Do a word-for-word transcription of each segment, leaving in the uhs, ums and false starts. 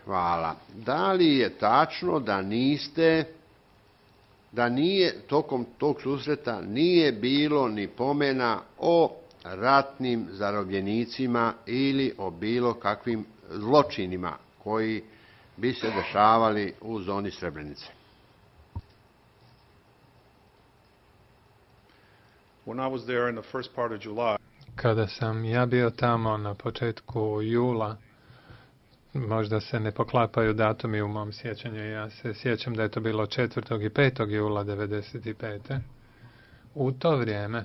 Hvala. Da li je tačno da niste, da nije, tokom tog susreta nije bilo ni pomena o ratnim zarobljenicima ili o bilo kakvim zločinima koji bi se dešavali u zoni Srebrenice? When I was there in the first part of July, Kada sam ja bio tamo na početku jula, možda se ne poklapaju datumi u mom sjećanju, ja se sjećam da je to bilo četvrtog i petog jula devedeset pete. U to vrijeme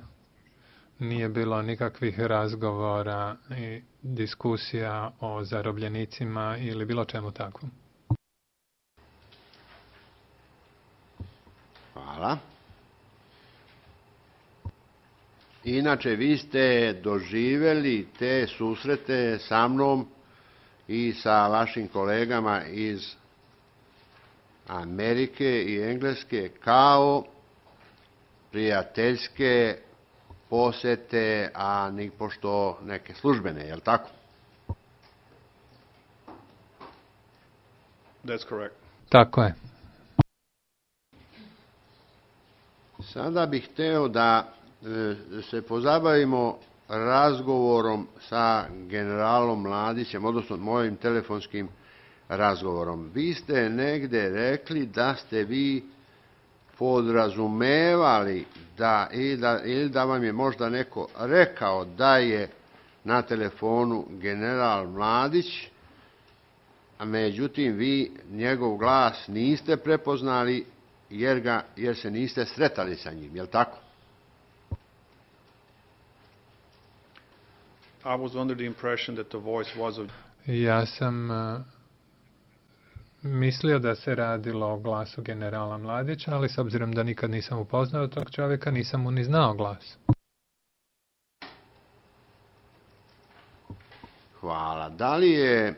nije bilo nikakvih razgovora i diskusija o zarobljenicima ili bilo čemu takvom. Hvala. Inače, vi ste doživjeli te susrete sa mnom i sa vašim kolegama iz Amerike i Engleske kao prijateljske posete, a nipošto neke službene, je li tako? that's correct. Tako je. Sada bih hteo da e, se pozabavimo razgovorom sa generalom Mladićem, odnosno mojim telefonskim razgovorom. Vi ste negde rekli da ste vi podrazumevali da ili, da ili da vam je možda neko rekao da je na telefonu general Mladić, a međutim vi njegov glas niste prepoznali jer, ga, jer se niste sretali sa njim, je li tako? I was under the impression that the voice was of Ja sam uh, mislio da se radilo o glasu generala Mladića, ali s obzirom da nikad nisam upoznao tog čovjeka, nisam mu ni znao glas. Hvala. Da li je e,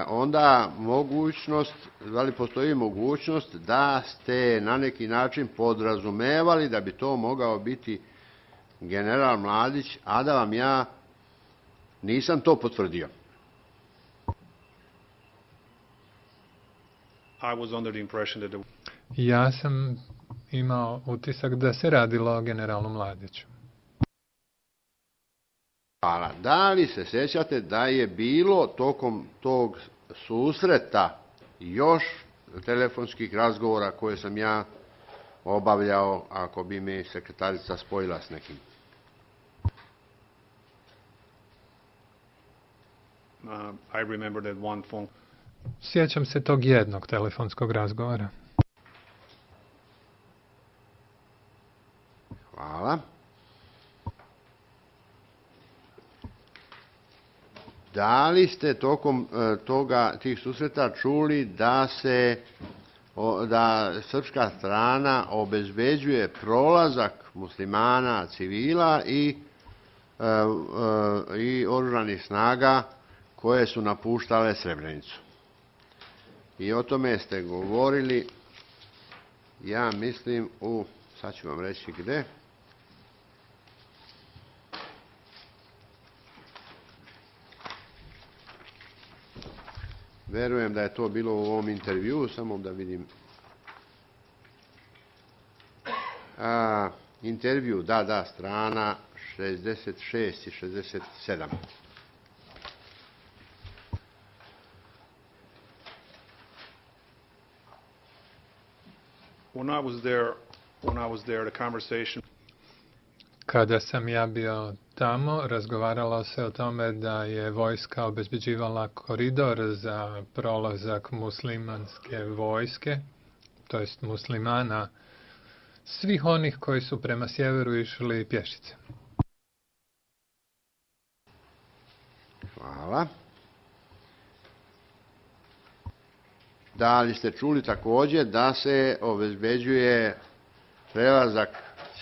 onda mogućnost, da li postoji mogućnost da ste na neki način podrazumevali da bi to mogao biti general Mladić, a da vam ja nisam to potvrdio? I was under the impression that the Ja sam imao utisak da se radilo o generalu Mladiću. Hvala. Da li se sjećate da je bilo tokom tog susreta još telefonskih razgovora koje sam ja obavljao, ako bi mi sekretarica spojila s nekim? uh, I remember that one phone Sjećam se tog jednog telefonskog razgovora. Hvala. Da li ste tokom e, toga, tih susreta čuli da se o, da srpska strana obezbeđuje prolazak muslimana, civila i, e, e, i oružanih snaga koje su napuštale Srebrenicu? I o tome ste govorili, ja mislim, u, sad ću vam reći gde. Verujem da je to bilo u ovom intervjuu, samo da vidim. A, intervju, da, da, strana šezdeset šest i šezdeset sedam. when I was there when I was there the conversation Kada sam ja bio tamo, razgovaralo se o tome da je vojska obezbeđivala koridor za prolazak muslimanske vojske, to jest muslimana, svih onih koji su prema sjeveru išli pješice. Hvala. Da li ste čuli također da se obezbeđuje prelazak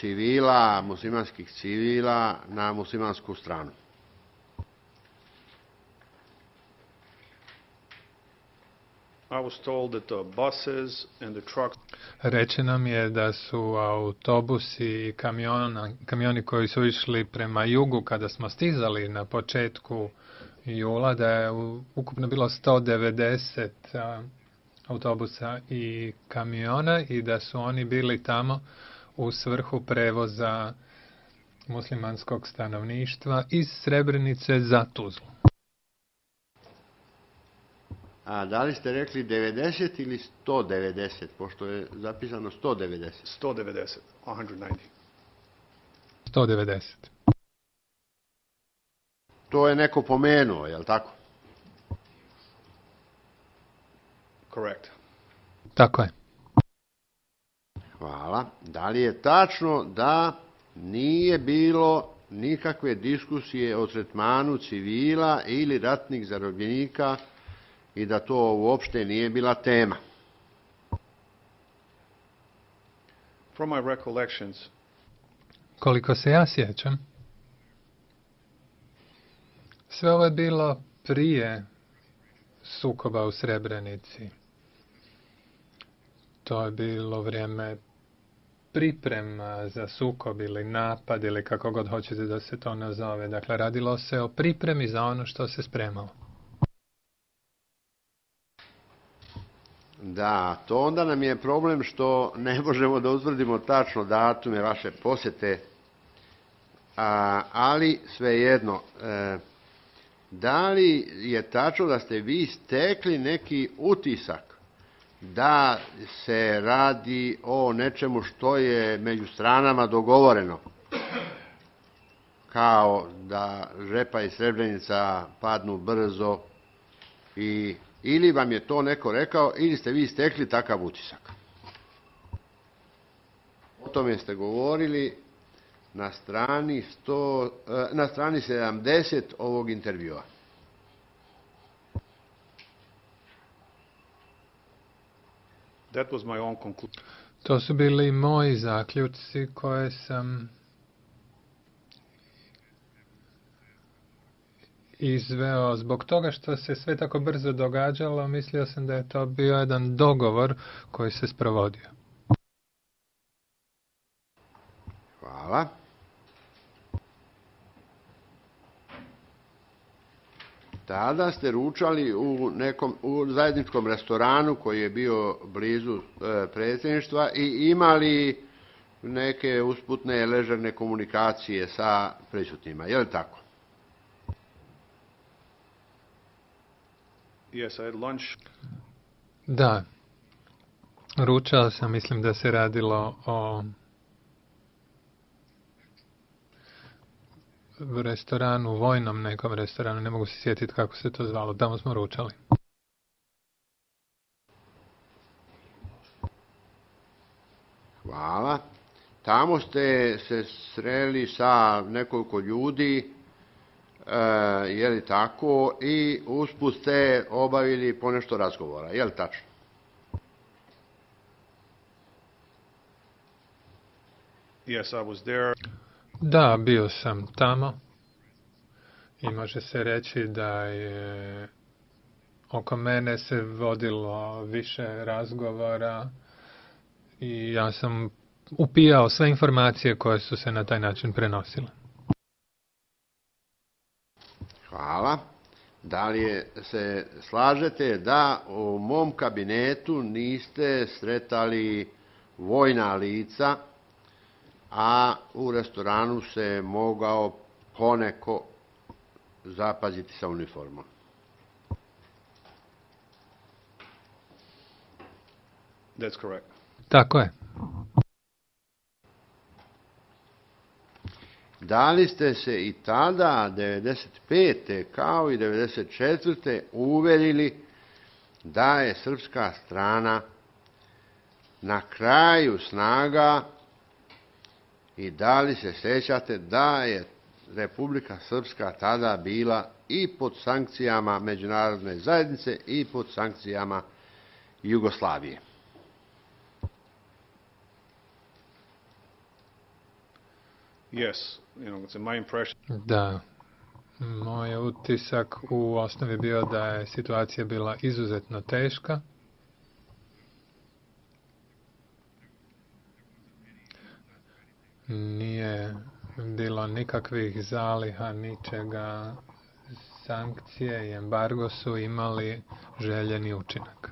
civila, muslimanskih civila na muslimansku stranu? I was told that the buses and the trucks Rečeno mi je da su autobusi i kamiona, kamioni koji su išli prema jugu kada smo stizali na početku jula da je ukupno bilo sto devedeset a, autobusa i kamiona i da su oni bili tamo u svrhu prevoza muslimanskog stanovništva iz Srebrenice za Tuzlu. A da li ste rekli devedeset ili sto devedeset, pošto je zapisano sto devedeset? sto devedeset, one hundred ninety. sto devedeset. To je neko pomenuo, je li tako? Correct. Tako je. Hvala. Da li je tačno da nije bilo nikakve diskusije o tretmanu civila ili ratnih zarobljenika i da to uopšte nije bila tema? From my recollections, Koliko se ja sjećam, sve ovo je bilo prije sukoba u Srebrenici. To je bilo vrijeme priprema za sukob ili napad ili kako god hoćete da se to nazove. Dakle, radilo se o pripremi za ono što se spremalo. Da, to onda nam je problem što ne možemo da utvrdimo tačno datume vaše posjete, a, ali svejedno, e, da li je tačno da ste vi stekli neki utisak da se radi o nečemu što je među stranama dogovoreno, kao da Žepa i Srebrenica padnu brzo, i, ili vam je to neko rekao, ili ste vi stekli takav utisak? O tome ste govorili na strani, sto, na strani sedamdeset ovog intervjua. that was my own conclusion. To su bili moji zaključci koje sam izveo zbog toga što se sve tako brzo događalo. Mislio sam da je to bio jedan dogovor koji se sprovodio. Hvala. Tada ste ručali u nekom u zajedničkom restoranu koji je bio blizu e, predsjedništva i imali neke usputne ležerne komunikacije sa prisutnima. Je li tako? Yes, I had lunch. Da. Ručao sam, mislim da se radilo o restoranu, vojnom nekom restoranu, ne mogu se sjetiti kako se to zvalo, tamo smo ručali. Hvala. Tamo ste se sreli sa nekoliko ljudi, e, je li tako, i usput ste obavili ponešto razgovora, je li tačno? Yes, I was there. Da, bio sam tamo i može se reći da je oko mene se vodilo više razgovora i ja sam upijao sve informacije koje su se na taj način prenosile. Hvala. Da li je, se slažete da u mom kabinetu niste sretali vojna lica, a u restoranu se mogao poneko zapaziti sa uniformom? That's correct. Tako je. Da li ste se i tada, devedeset pete kao i devedeset četvrte uverili da je srpska strana na kraju snaga i da li se sjećate da je Republika Srpska tada bila i pod sankcijama međunarodne zajednice i pod sankcijama Jugoslavije? Yes, you know, it's my impression. Da. Moj utisak u osnovi bio da je situacija bila izuzetno teška. Nije bilo nikakvih zaliha, ničega sankcije i embargo su imali željeni učinak.